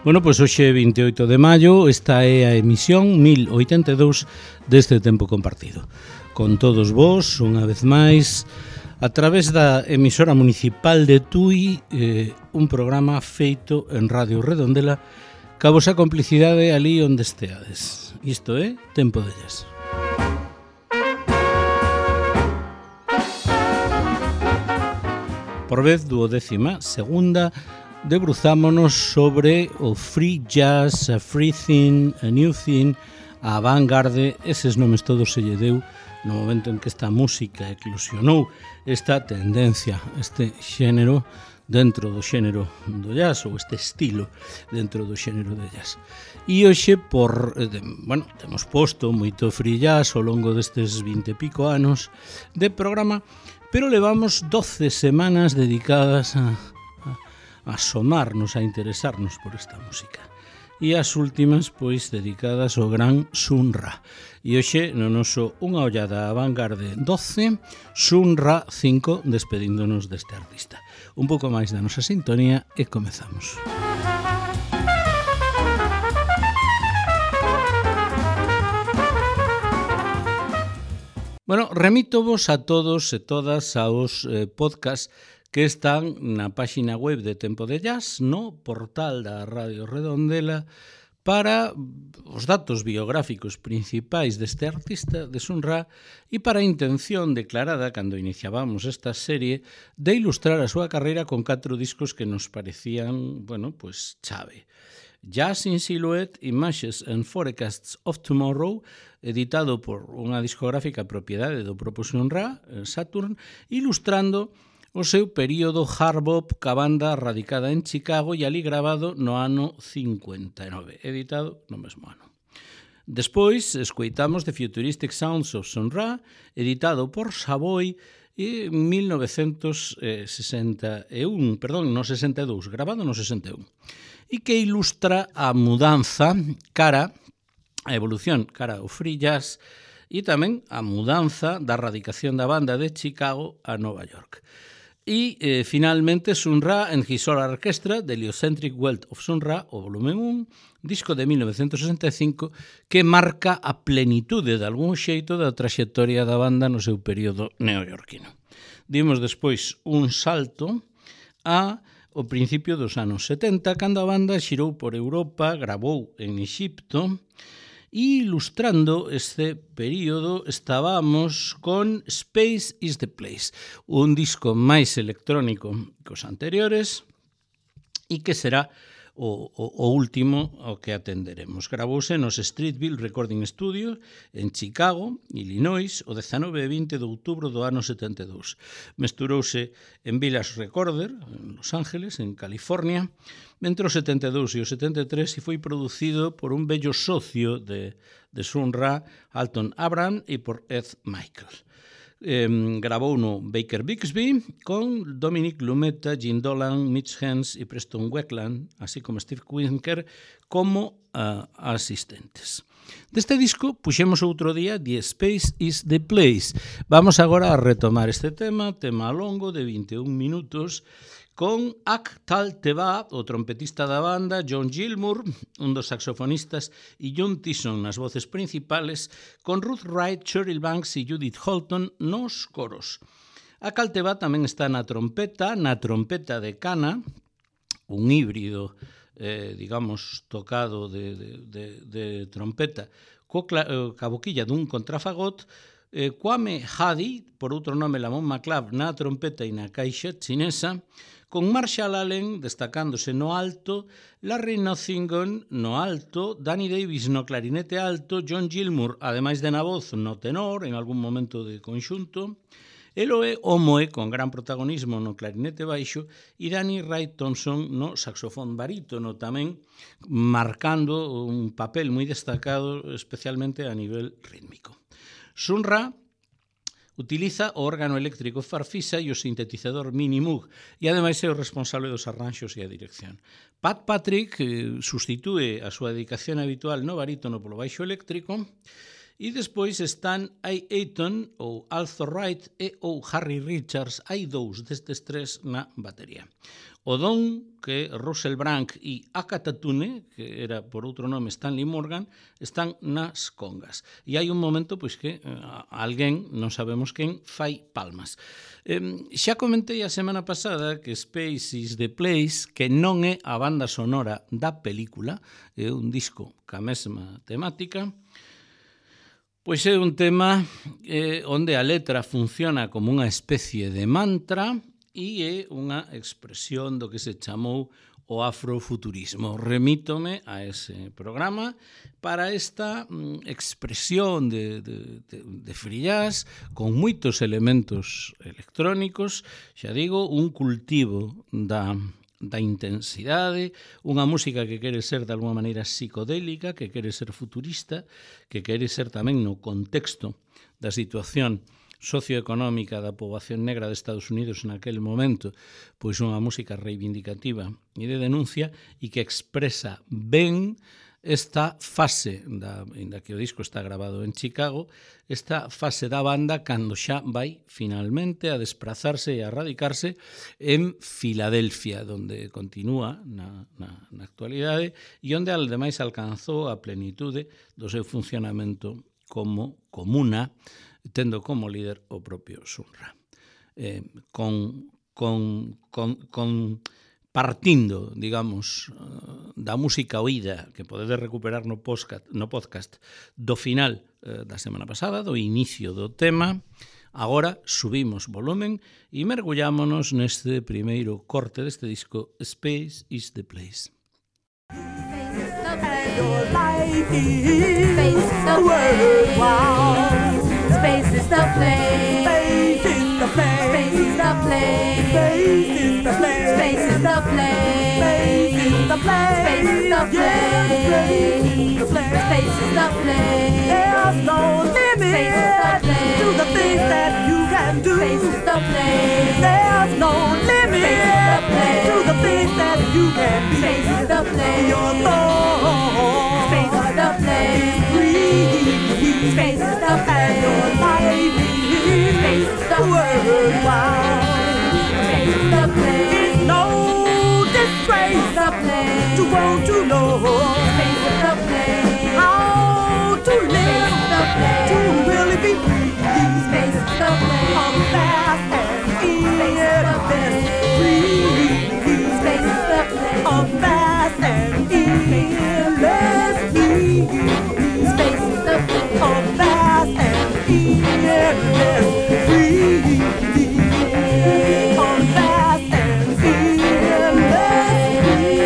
Bueno, pois hoxe 28 de maio, esta é a emisión 1082 deste Tempo Compartido. Con todos vos, unha vez máis, a través da emisora municipal de Tui, un programa feito en Radio Redondela, ca vosa complicidade ali onde esteades. Isto é Tempo de Jazz. Por vez 12ª, debruzámonos sobre o free jazz, a free thing, a new thing, a avant-garde, eses nomes todos se lle deu no momento en que esta música eclosionou, esta tendencia, este xénero dentro do xénero do jazz, ou este estilo dentro do xénero do jazz. E hoxe, temos posto moito free jazz ao longo destes 20 e pico anos de programa, pero levamos 12 semanas dedicadas a asomarnos, a interesarnos por esta música. E as últimas, pois, dedicadas ao gran Sun Ra. E hoxe, no noso Unha ollada a Vanguarde 12, Sun Ra 5, despedíndonos deste artista. Un pouco máis da nosa sintonía e comezamos. Bueno, remítovos a todos e todas aos podcast que están na páxina web de Tempo de Jazz, no portal da Radio Redondela, para os datos biográficos principais deste artista, de Sun Ra, e para a intención declarada, cando iniciábamos esta serie, de ilustrar a súa carreira con 4 discos que nos parecían, chave. Jazz in Silhouette, Images and Forecasts of Tomorrow, editado por unha discográfica propiedade do propio Sun Ra, Saturn, ilustrando o seu período hard bop ca banda radicada en Chicago e ali grabado no ano 59, editado no mesmo ano. Despois, escoitamos The Futuristic Sounds of Sun Ra, editado por Savoy en 62, grabado no 61, e que ilustra a mudanza a evolución cara ao free jazz e tamén a mudanza da radicación da banda de Chicago a Nova York. E, finalmente, Sun Ra and His Solar Orchestra, The Heliocentric Wealth of Sun Ra, o volumen 1, disco de 1965, que marca a plenitude de algún xeito da traxectoria da banda no seu período neoyorquino. Dimos despois un salto ao principio dos anos 70, cando a banda xirou por Europa, gravou en Exipto, e ilustrando este período estábamos con Space is the Place, un disco máis electrónico que os anteriores e que será o último ao que atenderemos. Gravouse nos Streetville Recording Studio en Chicago, Illinois, o 19 e 20 de outubro do ano 72. Mesturouse en Village Recorder, en Los Ángeles, en California, entre o 72 e o 73 e foi producido por un bello socio de Sun Ra, Alton Abraham, e por Ed Michael. Grabou no Baker Bixby con Dominic Lumeta, Gene Dolan, Mitch Hens e Preston Wetland, así como Steve Winker como asistentes. Deste disco puxemos outro día The Space is the Place. Vamos agora a retomar este tema longo de 21 minutos, con Ak Tal Teva, o trompetista da banda, John Gilmour, un dos saxofonistas, e John Tyson nas voces principales, con Ruth Wright, Cheryl Banks e Judith Holton nos coros. Ak Tal Teva tamén está na trompeta de cana, un híbrido, tocado de trompeta, ca boquilla dun contrafagot, Kwame Hadi, por outro nome Lamont McLeod, na trompeta e na caixa chinesa, con Marshall Allen destacándose no alto, Larry Nottingham no alto, Danny Davis no clarinete alto, John Gilmour, ademais de na voz, no tenor, en algún momento de conxunto, Eloe Omoe, con gran protagonismo no clarinete baixo, e Danny Wright Thompson no saxofón barítono, tamén marcando un papel moi destacado, especialmente a nivel rítmico. Sun Ra utiliza o órgano eléctrico Farfisa e o sintetizador Mini Moog e ademais é o responsable dos arranxos e a dirección. Pat Patrick sustitúe a súa dedicación habitual no barítono polo baixo eléctrico E despois están Aiton ou Arthur Wright e ou Harry Richards. Hai dous destes tres na batería. O Don, que Russell Brand e Akata Tune, que era por outro nome Stanley Morgan, están nas congas. E hai un momento pois que alguén, non sabemos quen, fai palmas. Xa comentei a semana pasada que Space is the Place, que non é a banda sonora da película, é un disco ca mesma temática, pois é un tema onde a letra funciona como unha especie de mantra e é unha expresión do que se chamou o afrofuturismo. Remítome a ese programa para esta expresión de free jazz con moitos elementos electrónicos, xa digo, un cultivo da intensidade, unha música que quere ser de alguma maneira psicodélica, que quere ser futurista, que quere ser tamén no contexto da situación socioeconómica da poboación negra de Estados Unidos naquele momento, pois unha música reivindicativa e de denuncia e que expresa ben esta fase, ainda que o disco está grabado en Chicago, esta fase da banda cando xa vai finalmente a desprazarse e a radicarse en Filadelfia, onde continúa na actualidade e onde ademais alcanzou a plenitude do seu funcionamento como comuna, tendo como líder o propio Sun Ra. Partindo, digamos, da música oída que podedes recuperar no podcast do final da semana pasada, do inicio do tema, agora subimos volumen e mergullámonos neste primeiro corte deste disco, Space is the Place. Your life is the world. Wow. Space is the place. Space is the place. Space is the place. Space is the place. Space is the place. Space is the place. Space is the place. Space is the place. There's no limit to the things that you can do. Space is the place. There's no limit to the things that you can be. Space is the place. Your thoughts. Space is the place. Free. Space is the place. Your life is. Space is the worldwide. Space is the place. It's no disgrace to want to know. Space is the place. How to live. To really be free. Space is the place. On fast and endless. Free. Space is the place. On fast and endless. Free. Space is the place. On fast and endless. Free. On fast and endless. Free.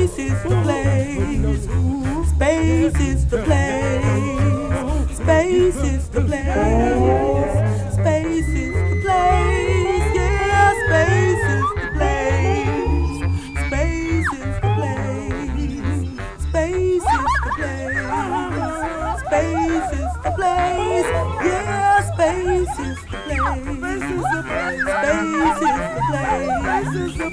Space is the place. Space is the place. Space is the place. Space is the place. Yeah, space is the place. Space is the place. Space is the place. Space is the place. Yeah, space is the place. Space is the place. Space is the place.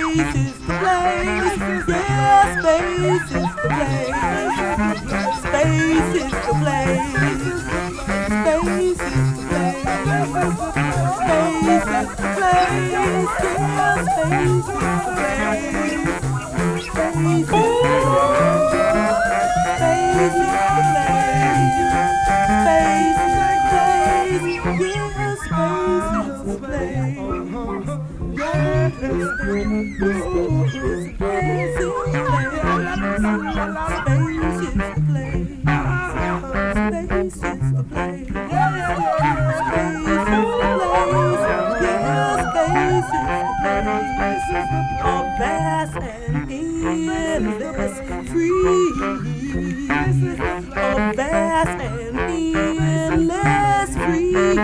Space is the place. Space is the place. Space is the place. Yeah, space is the place. Space is the place. Space is the place. Space is the place. Yeah, space is the place. Space is the vast and endless free. A vast and endless free.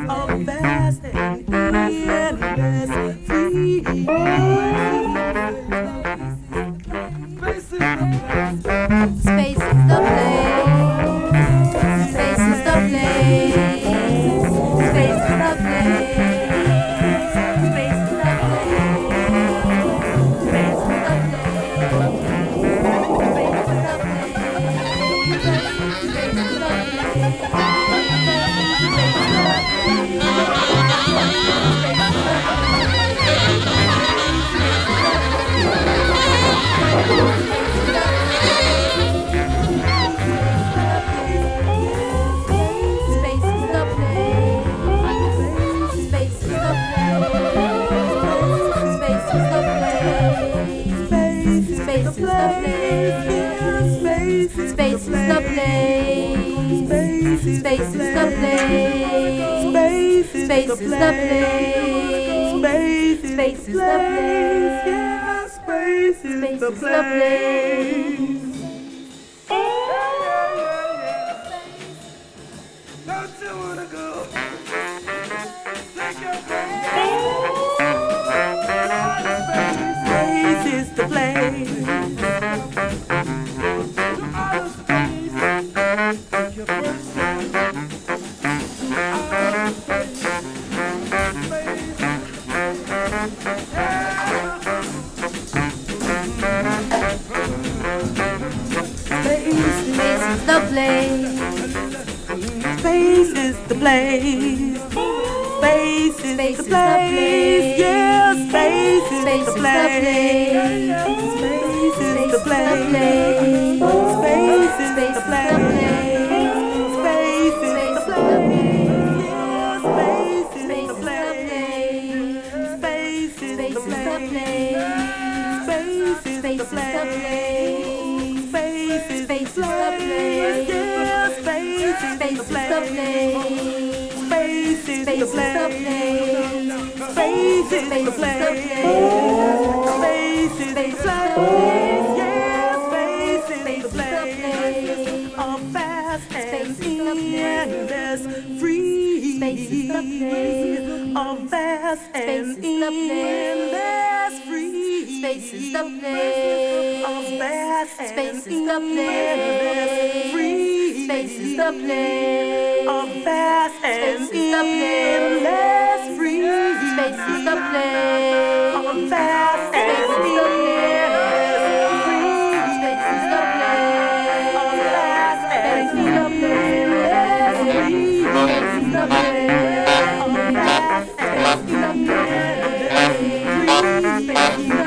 A vast and endless free. Space is the place. Space is the place. Space is the place. Space is the place. Space is the place. Space is the place. Space is the place. Space is the place. Space is the place. Space is the place. Yeah, space is the place. Don't you wanna go? Take your place. Space is the place. Space is the place. Space is the place. Yeah, space is the place. Space is the place. Space is the place. Space is the place. Yeah, space is the place. Space is the place. Space is the place. Space is the place. Yeah, space is the place. Space is the place. Space is the place. Space is the place. Yeah, space is the place. A vast and endless free. Space is the place. A vast and endless free. Space is the place. A vast and endless free. Space is the place. A vast and endless free. Space is the place. A vast and endless free. Space is the place. A vast and endless free. Space is the place. A vast and endless free. Space is the place.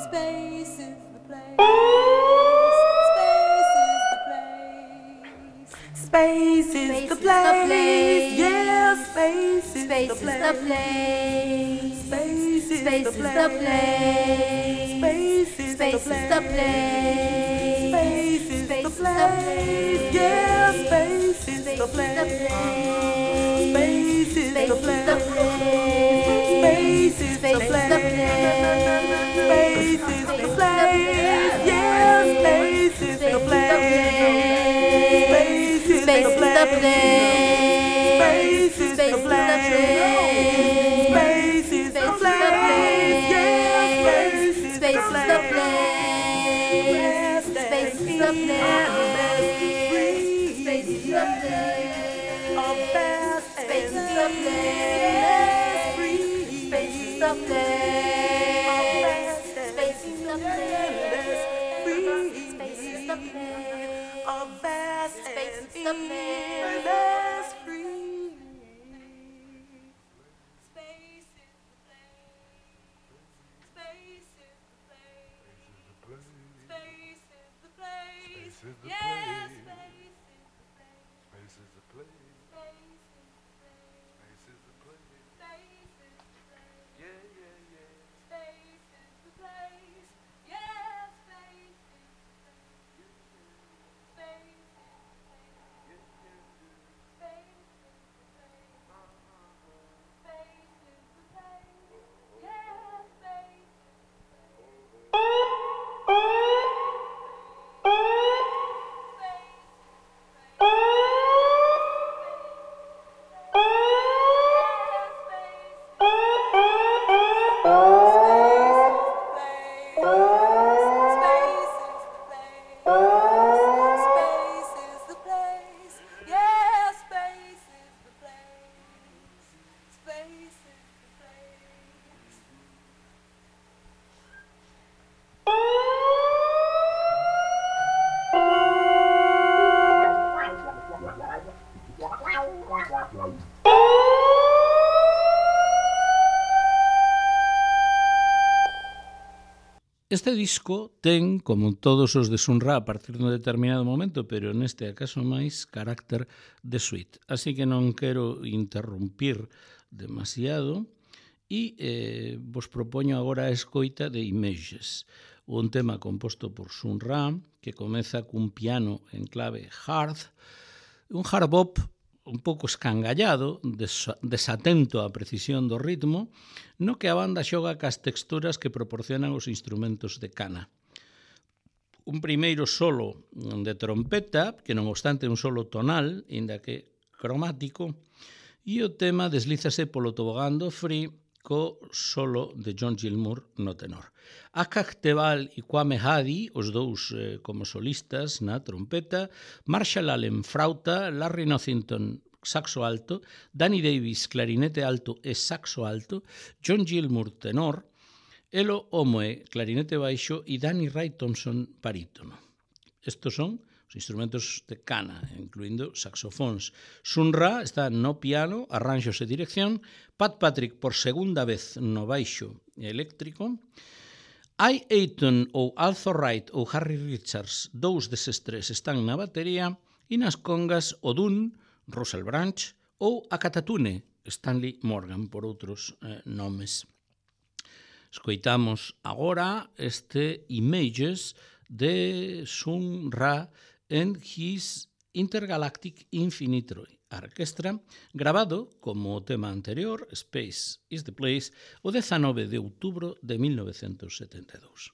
Space is the place. Space is the place. Yeah, space is the place. Space is the place. Space is the place. Space is the place. Space is the place. Yeah, space is the place. Space is the place. Space is the place. Space is the place. Yeah, space is the place. Space is the place. Space is the place. Space is the place. Yeah, space is the place. Space is the place. Space is the place. Space is the place. Space is the place. Este disco ten, como todos os de Sun Ra a partir dun determinado momento, pero neste acaso máis carácter de suite. Así que non quero interrumpir demasiado e vos propoño agora a escoita de Images, un tema composto por Sun Ra que comeza cun piano en clave hard, un hard bop un pouco escangallado, desatento á precisión do ritmo, no que a banda xoga cas texturas que proporcionan os instrumentos de cana. Un primeiro solo de trompeta, que non obstante un solo tonal, inda que cromático, e o tema deslízase polo tobogán do free co solo de John Gilmour no tenor. Akak Tebal e Kwame Hadi, os dous como solistas na trompeta, Marshall Allen frauta, Larry Nothington saxo alto, Danny Davis clarinete alto e saxo alto, John Gilmour tenor, Elo Omoe clarinete baixo e Danny Ray Thompson barítono. Estos son os instrumentos de cana, incluindo saxofóns. Sun Ra está no piano, arranxos e dirección, Pat Patrick por segunda vez no baixo eléctrico, Ai Aiton ou Arthur Wright ou Harry Richards, dous deses tres están na batería, e nas congas o Dun, Russell Branch ou a Catatune, Stanley Morgan, por outros nomes. Escoitamos agora este Images de Sun Ra en His Intergalactic Infinitory Orchestra, grabado como o tema anterior, Space is the Place, o 19 de outubro de 1972.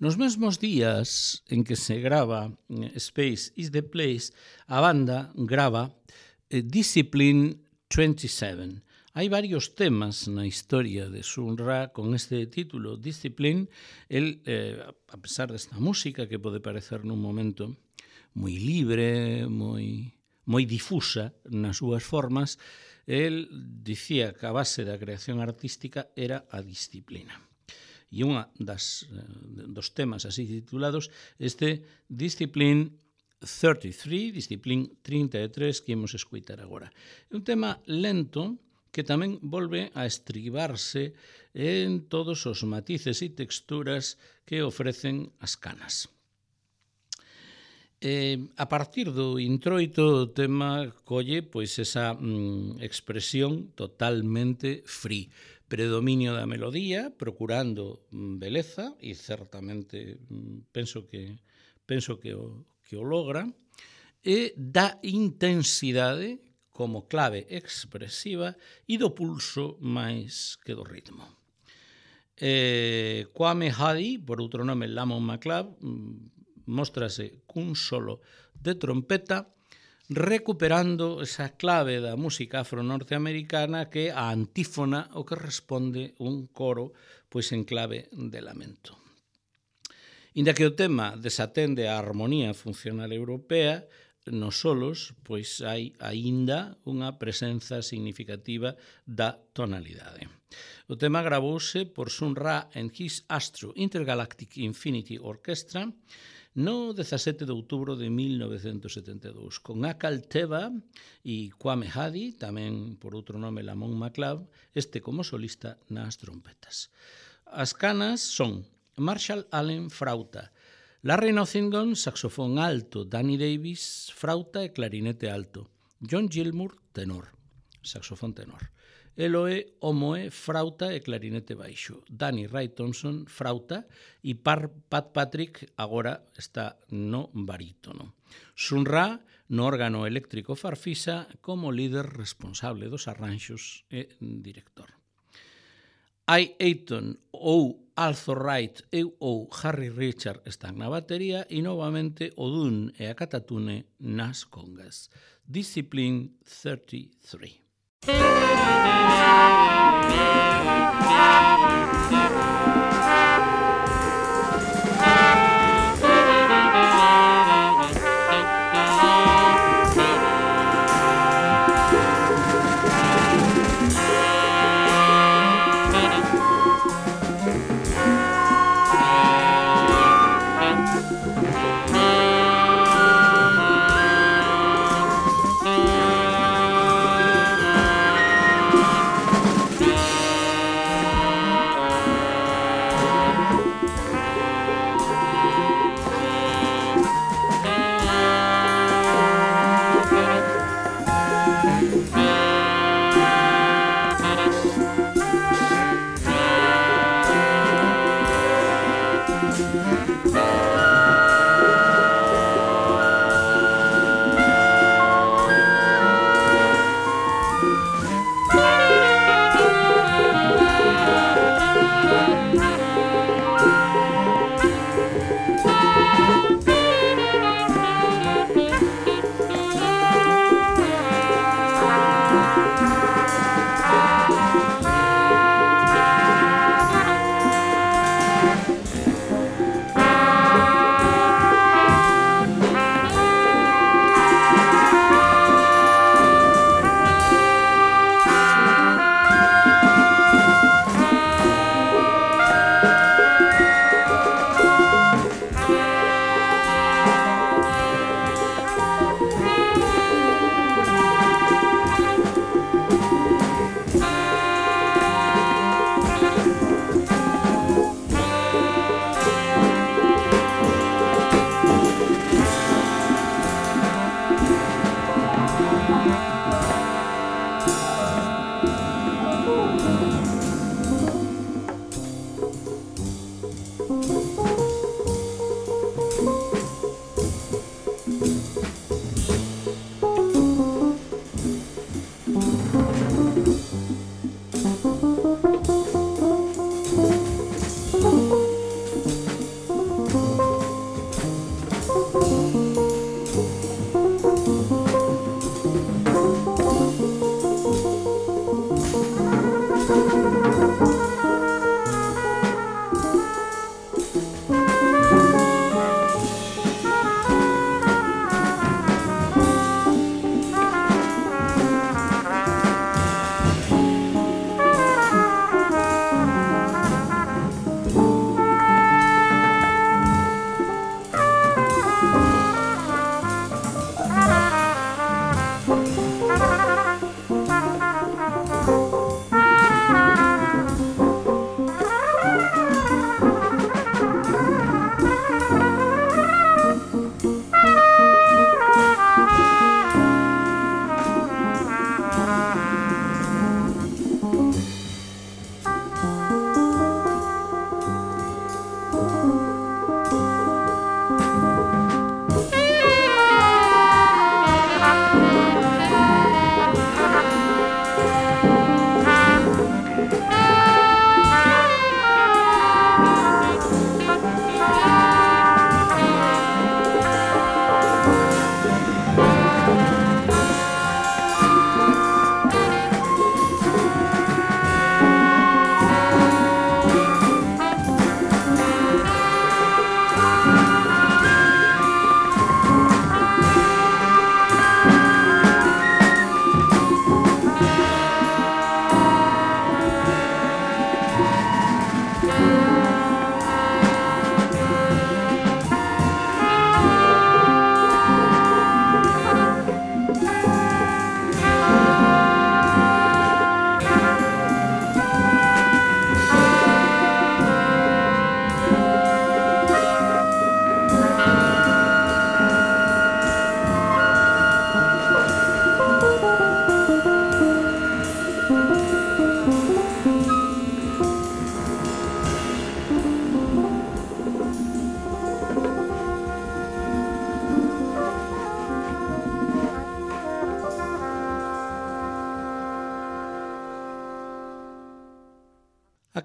Nos mesmos días en que se grava Space is the Place, a banda grava Discipline 27. Hai varios temas na historia de Sun Ra con este título, Discipline. El, a pesar desta música que pode parecer nun momento moi libre, moi difusa nas súas formas, el dicía que a base da creación artística era a disciplina. E unha dos temas así titulados, este Discipline 33, Discipline 33, que imos escoitar agora. É un tema lento que tamén volve a estribarse en todos os matices e texturas que ofrecen as canas. A partir do introito, o tema colle pois esa expresión totalmente free, predominio da melodía, procurando beleza, e certamente penso que o logra, e da intensidade como clave expresiva e do pulso máis que do ritmo. Kwame Hadi, por outro nome Lamont McLeod, móstrase cun solo de trompeta recuperando esa clave da música afro-norteamericana que é a antífona o que responde un coro pois en clave de lamento. Inda que o tema desatende a armonía funcional europea, nos solos pois hai aínda unha presenza significativa da tonalidade. O tema gravouse por Sun Ra and His Astro Intergalactic Infinity Orchestra no 17 de outubro de 1972, con Akal Teva e Kwame Hadi, tamén por outro nome Lamont McLeod, este como solista nas trompetas. As canas son Marshall Allen, frauta, Larry Nottingham, saxofón alto, Danny Davis, frauta e clarinete alto, John Gilmour, tenor, saxofón tenor, Eloe Omoe, frauta e clarinete baixo, Danny Ray Thompson, frauta, e Pat Patrick agora está no barítono. Sun Ra no órgano eléctrico farfisa como líder responsable dos arranxos e director. Ai Ayton ou Arthur Wright ou Harry Richard están na batería e novamente o dun e a catatune nas congas. Discipline 33.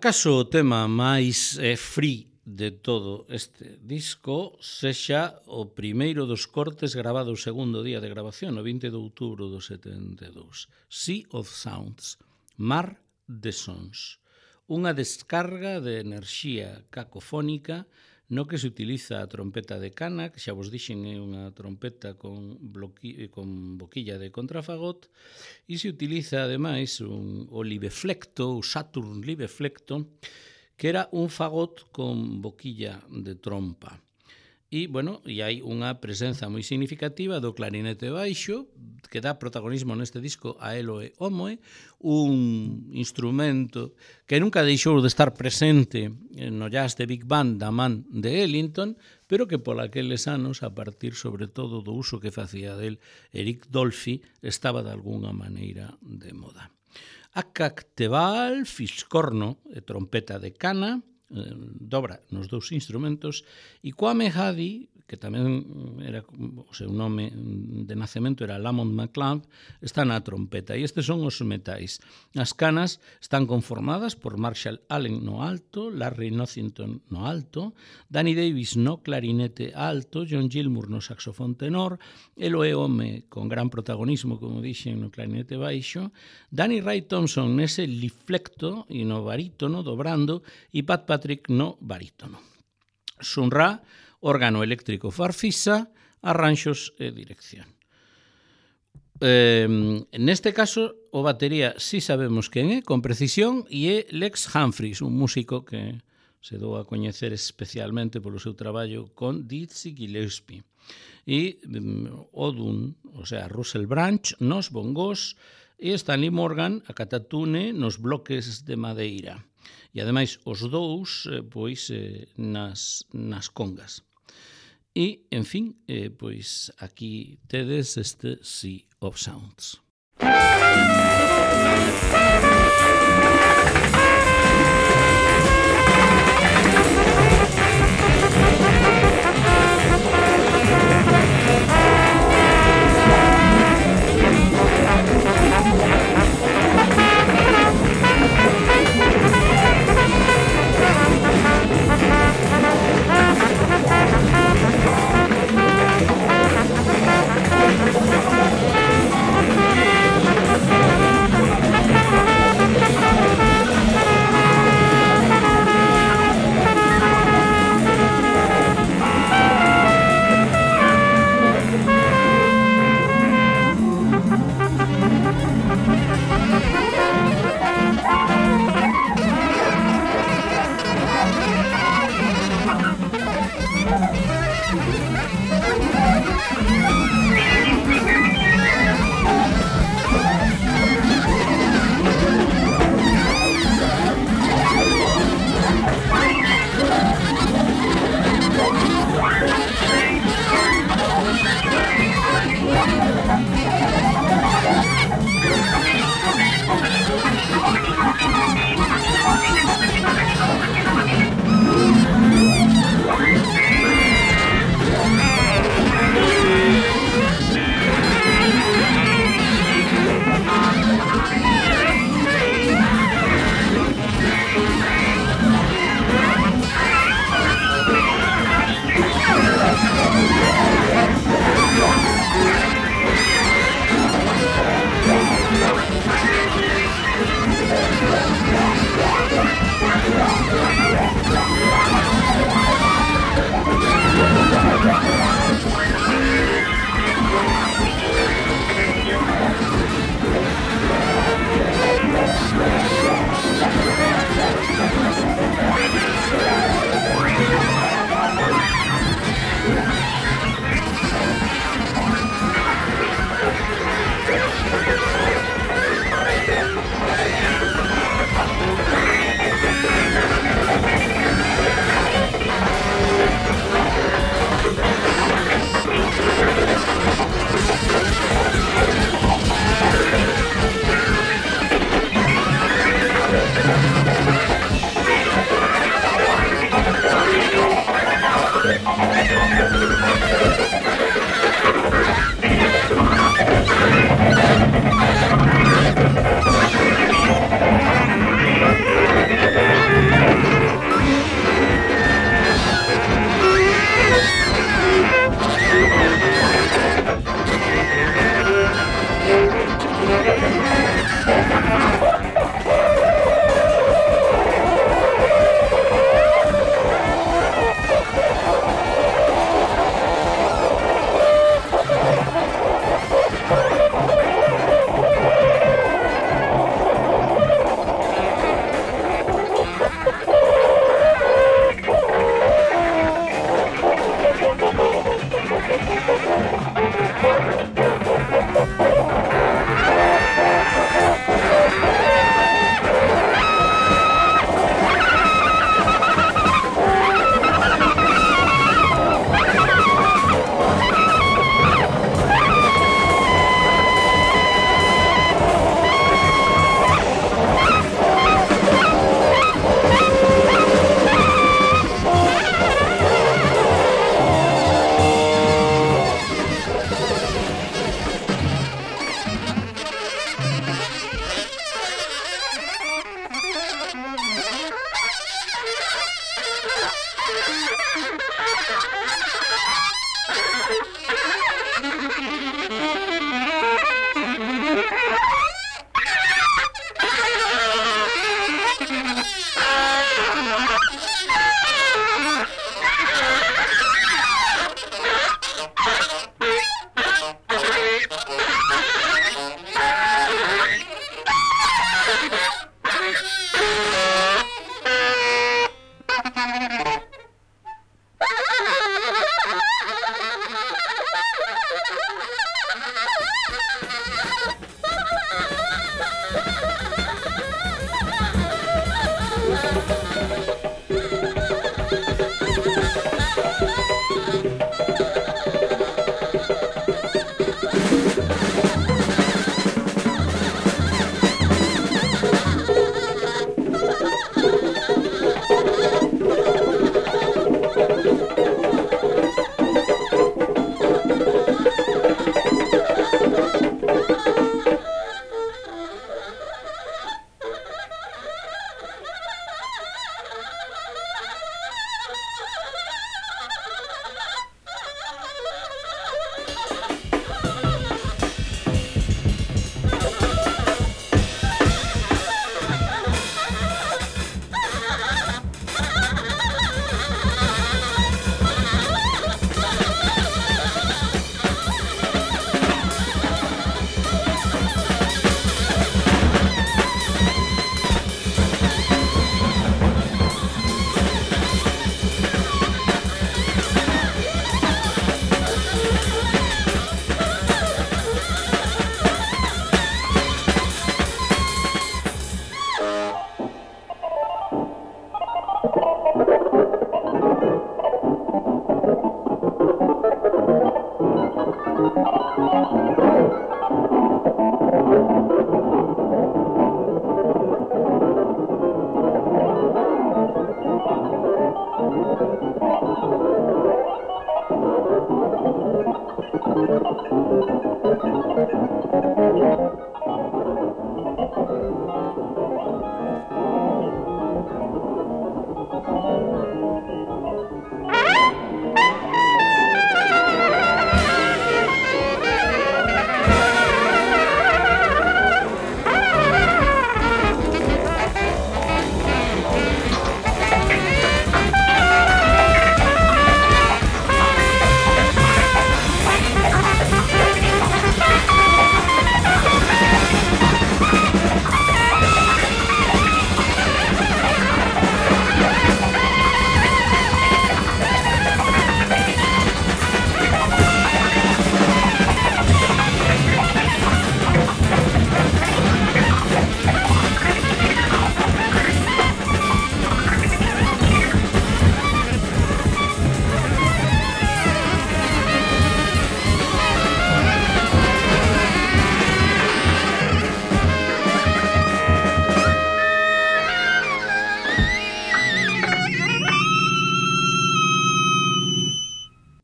Acaso o tema máis free de todo este disco sexa o primeiro dos cortes grabado o segundo día de grabación, o 20 de outubro do 72. Sea of Sounds, Mar de Sons. Unha descarga de enerxía cacofónica no que se utiliza a trompeta de cana, que xa vos dixen é unha trompeta con boquilla de contrafagot, e se utiliza ademais o libeflecto, o Saturn libeflecto, que era un fagot con boquilla de trompa. E, bueno, e hai unha presenza moi significativa do clarinete baixo, que dá protagonismo neste disco a Eloe Omoe, un instrumento que nunca deixou de estar presente no jazz de Big Band da man de Ellington, pero que pola aqueles anos, a partir sobre todo do uso que facía del Eric Dolphy, estaba de algunha maneira de moda. A cactebal, fiscorno e trompeta de cana, dobra nos dous instrumentos, e Kwame Hadi, que tamén era o seu nome de nacemento era Lamont McLeod, está na trompeta, e estes son os metais. As canas están conformadas por Marshall Allen no alto, Larry Nothington no alto, Danny Davis no clarinete alto, John Gilmour no saxofón tenor, Eloe Omoe con gran protagonismo, como dixen, no clarinete baixo, Danny Ray Thompson nese liflecto e no barítono dobrando, e Pat Patrick no barítono. Sun Ra, órgano eléctrico farfisa, arranxos e dirección. Neste caso, o batería si sabemos quen é, con precisión, e é Lex Humphries, un músico que se dou a coñecer especialmente polo seu traballo con Dizzy Gillespie. E Odun, o sea, Russell Branch, nos bongos, e Stanley Morgan, a catatune, nos bloques de madeira. E, ademais, os dous, pois, nas congas. E, en fin, pois, aquí tedes este Sea of Sounds.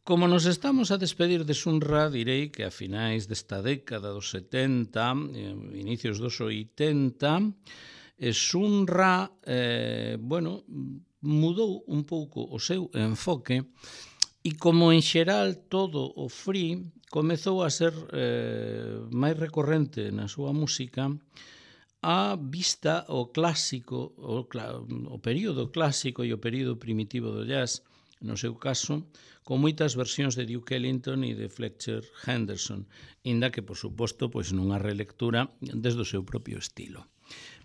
Como nos estamos a despedir de Sun-Ra, direi que a finais desta década dos 70, inicios dos 80, Sun-Ra, mudou un pouco o seu enfoque e como en xeral todo o free comezou a ser máis recorrente na súa música a vista o clásico, o período clásico e o período primitivo do jazz, no seu caso, con moitas versións de Duke Ellington e de Fletcher Henderson, inda que, por suposto, nunha relectura desde o seu propio estilo.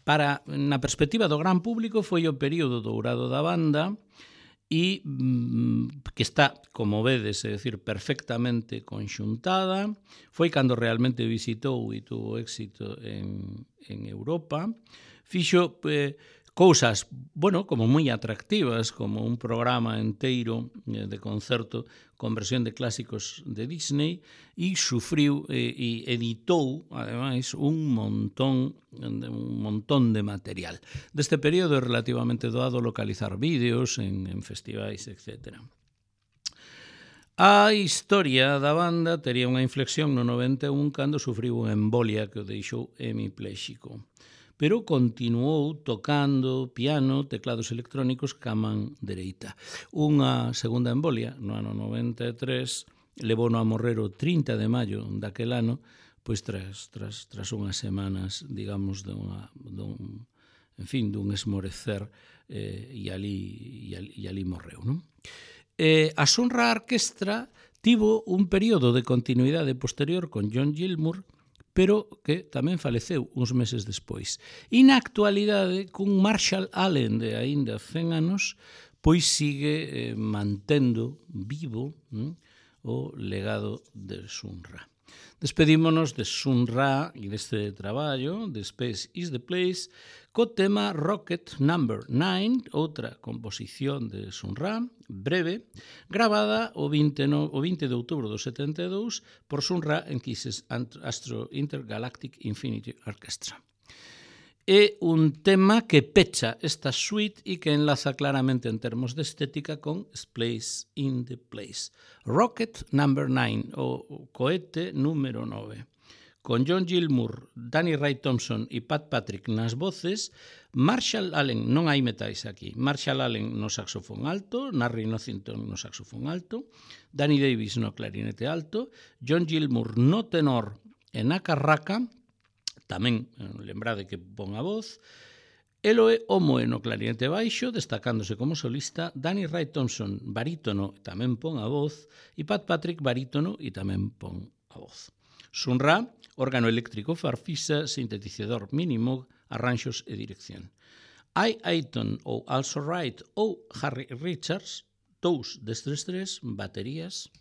Na perspectiva do gran público, foi o período dourado da banda e que está, como vedes, é dicir, perfectamente conxuntada. Foi cando realmente visitou e tuvo éxito en Europa. Fixo cousas, como moi atractivas, como un programa enteiro de concerto con versión de clásicos de Disney e sufriu e editou, ademais, un montón de material. Deste período é relativamente doado localizar vídeos en festivais, etc. A historia da banda tería unha inflexión no 91 cando sufriu unha embolia que o deixou hemipléxico, pero continuou tocando piano, teclados electrónicos ca man dereita. Unha segunda embolia, no ano 93, levouno a morrer o 30 de maio daquel ano, pois tras unhas semanas, digamos, dun esmorecer, e ali morreu, non? A Sun-Ra Orquestra tivo un período de continuidade posterior con John Gilmour, pero que tamén faleceu uns meses despois. E na actualidade, cun Marshall Allen de aínda 100 anos, pois sigue mantendo vivo o legado de Sun-Ra. Despedímonos de Sun-Ra e deste traballo, de Space is the Place, co tema Rocket No. 9, outra composición de Sun-Ra, breve, gravada o 20 de outubro do 72 por Sun-Ra en Kisses Astro Intergalactic Infinity Orchestra. É un tema que pecha esta suite e que enlaza claramente en termos de estética con Space in the Place. Rocket No. 9, o cohete número 9. Con John Gilmour, Danny Ray Thompson e Pat Patrick nas voces, Marshall Allen, non hai metais aquí, Marshall Allen no saxofón alto, Narry Nothington no saxofón alto, Danny Davis no clarinete alto, John Gilmour no tenor e na carraca, tamén lembrade que pon a voz, Eloe Omoe no clarinete baixo, destacándose como solista, Danny Ray Thompson, barítono, tamén pon a voz, e Pat Patrick, barítono, e tamén pon a voz. Sun-Ra, órgano eléctrico farfisa, sintetizador mínimo, arranxos e dirección. Aiton ou Also Right ou Harry Richards, dous destes tres, baterías.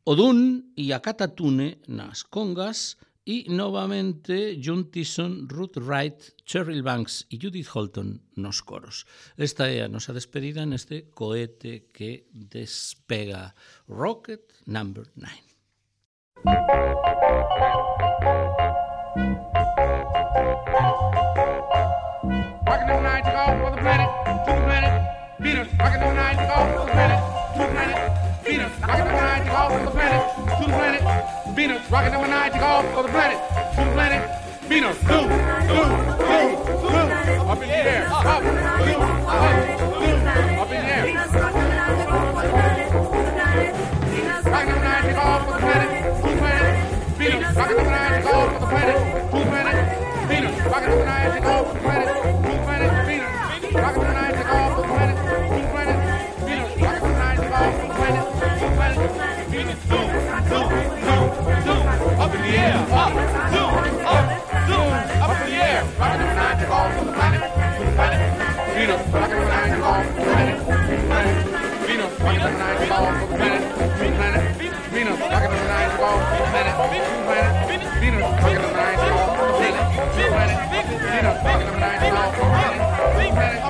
Odun e a Catatune nas congas, e novamente John Tyson, Ruth Wright, Cheryl Banks e Judith Holton nos coros. Esta é a nosa despedida neste cohete que despega, Rocket No. 9. Rocket No. 9 took off for the planet, to the planet, Venus. Rocket No. 9 took off for the planet, to the planet, Venus. Rocket No. 9 took off for the planet, to the planet, Venus, rocking number 9, take off for the planet, to the planet. Venus, zoom, zoom, zoom, zoom, up in the air, up, zoom, up in the air. Rocking number 9, take off for the planet, to the planet. Venus, rocking number 9, take off for the planet, to the planet. Venus, rocking number 9, take off for the planet, to the planet. Venus, rocking number 9, take off for the planet, to the planet. Venus, rocking number 9, take off for the planet, to the planet. Venus, zoom, zoom, zoom, zoom, up in the air, up, zoom, up, zoom, up in the air. Rocking number 9, take off for the planet, to the planet. Venus, rocking number 9, take off for the planet, to the planet. Venus, rocking number 9, take off for the planet, to the planet. Venus, rocking number 9, take off for the planet, to the planet. Venus, rocking number 9, take off for the planet, to the planet. Venus, rocking number 9, take off for the planet, to the planet.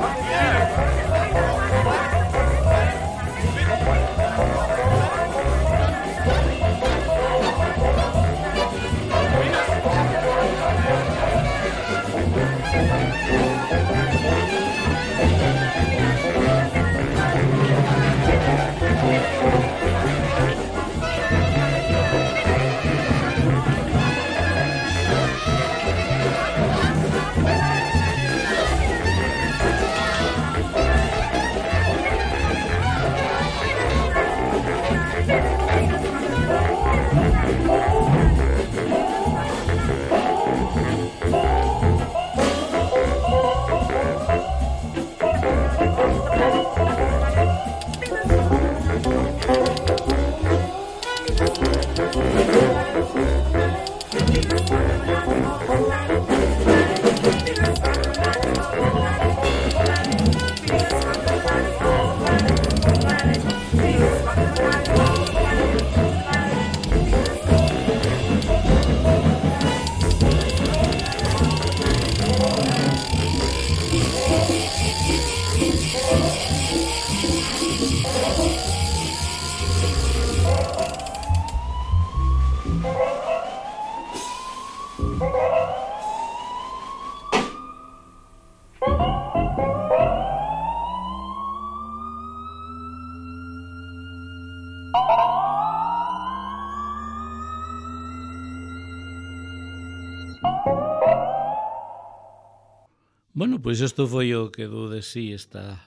Bueno, pois isto foi o que dou de sí esta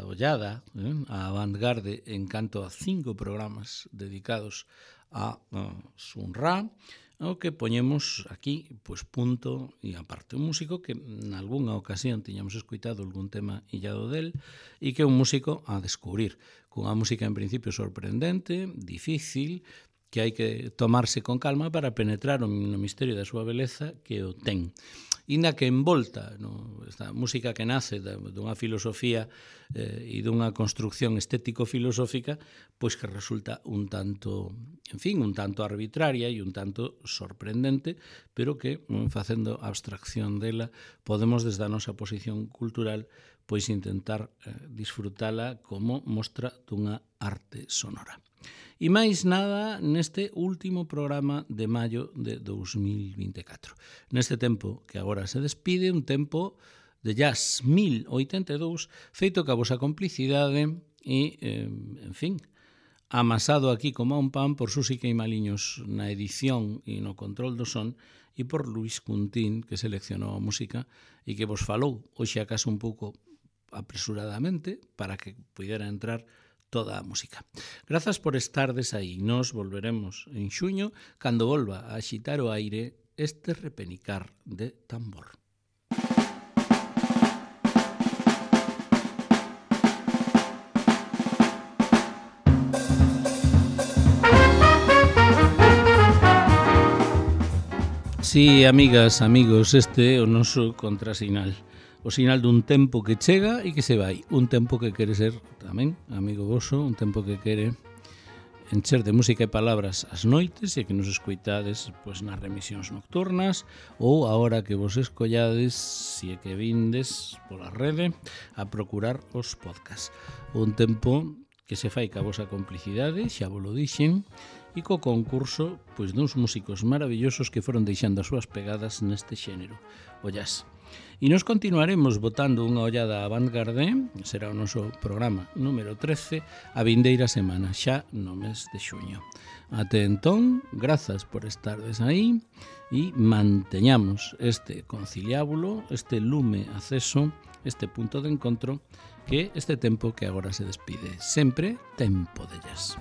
ollada a Avantgarde en canto a 5 programas dedicados a Sun Ra, o que poñemos aquí pois punto e aparte un músico que en algunha ocasión tiñamos escoitado algún tema illado del e que é un músico a descubrir, cunha música en principio sorprendente, difícil, que hai que tomarse con calma para penetrar no misterio da súa beleza que o ten. Inda que envolta esta música que nace dunha filosofía e dunha construcción estético-filosófica, pois que resulta un tanto arbitraria e un tanto sorprendente, pero que, facendo abstracción dela, podemos desde a nosa posición cultural pois intentar disfrutala como mostra dunha arte sonora. E máis nada neste último programa de maio de 2024. Neste tempo que agora se despide, un tempo de jazz 1082, feito ca vosa complicidade e, en fin, amasado aquí como a un pan por Susi Queimaliños na edición e no control do son e por Luis Cuntín, que seleccionou a música e que vos falou hoxe acaso un pouco apresuradamente para que pudera entrar toda a música. Grazas por estardes aí. Nos volveremos en xuño cando volva a axitar o aire este repenicar de tambor. Sí, amigas, amigos, este é o noso contrasinal. O sinal dun tempo que chega e que se vai. Un tempo que quere ser tamén amigo voso, un tempo que quere encher de música e palabras as noites e que nos escoitades pois, nas remisións nocturnas ou a hora que vos escollades, se é que vindes pola rede, a procurar os podcasts. Un tempo que se fai ca vosa complicidade, xa vos lo dixen, e co concurso pois, duns músicos maravillosos que foron deixando as súas pegadas neste xénero, o jazz. E nos continuaremos botando unha ollada a Vanguardia, será o noso programa número 13, a vindeira semana, xa no mes de xuño. Até entón, grazas por estardes aí e manteñamos este conciliábulo, este lume acceso, este punto de encontro, que este tempo que agora se despide. Sempre tempo de jazz.